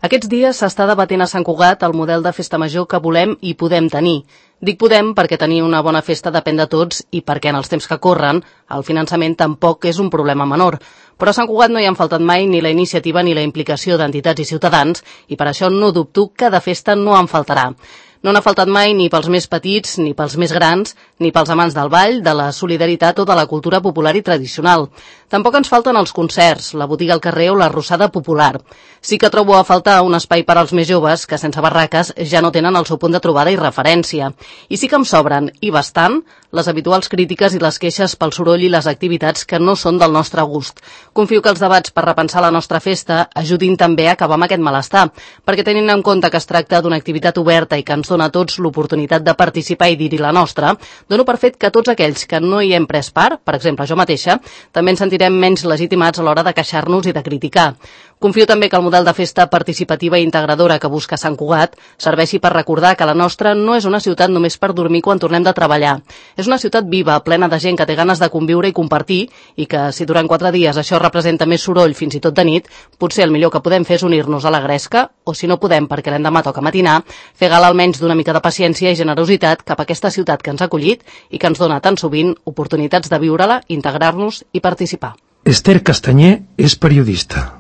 Aquests dies s'està debatent a Sant Cugat el model de festa major que volem i podem tenir. Dic podem perquè tenir una bona festa depèn de tots i perquè en els temps que corren el finançament tampoc és un problema menor. Però a Sant Cugat no hi han faltat mai ni la iniciativa ni la implicació d'entitats i ciutadans i per això no dubto que de festa no en faltarà. No n'ha faltat mai ni pels més petits, ni pels més grans, ni pels amants del ball, de la solidaritat o de la cultura popular i tradicional. Tampoc ens falten els concerts, la botiga al carrer o la rossada popular. Sí que trobo a faltar un espai per als més joves que sense barraques ja no tenen el seu punt de trobada i referència. I sí que em sobren, i bastant, les habituals crítiques i les queixes pel soroll i les activitats que no són del nostre gust. Confio que els debats per repensar la nostra festa ajudin també a acabar amb aquest malestar, perquè tenint en compte que es tracta d'una activitat oberta i que ens dona a tots l'oportunitat de participar i dir-hi la nostra, dono per fet que tots aquells que no hi hem pres part, per exemple jo mateixa, també ens sentirem menys legitimats a l'hora de queixar-nos i de criticar. Confio també que el model de festa participativa i integradora que busca Sant Cugat serveixi per recordar que la nostra no és una ciutat només per dormir quan tornem de treballar. És una ciutat viva, plena de gent que té ganes de conviure i compartir i que, si durant 4 dies això representa més soroll fins i tot de nit, potser el millor que podem fer és unir-nos a la gresca, o si no podem perquè l'endemà toca matinar, fer gala almenys d'una mica de paciència i generositat cap a aquesta ciutat que ens ha acollit i que ens dona tan sovint oportunitats de viure-la, integrar-nos i participar. Esther Castanyer és periodista.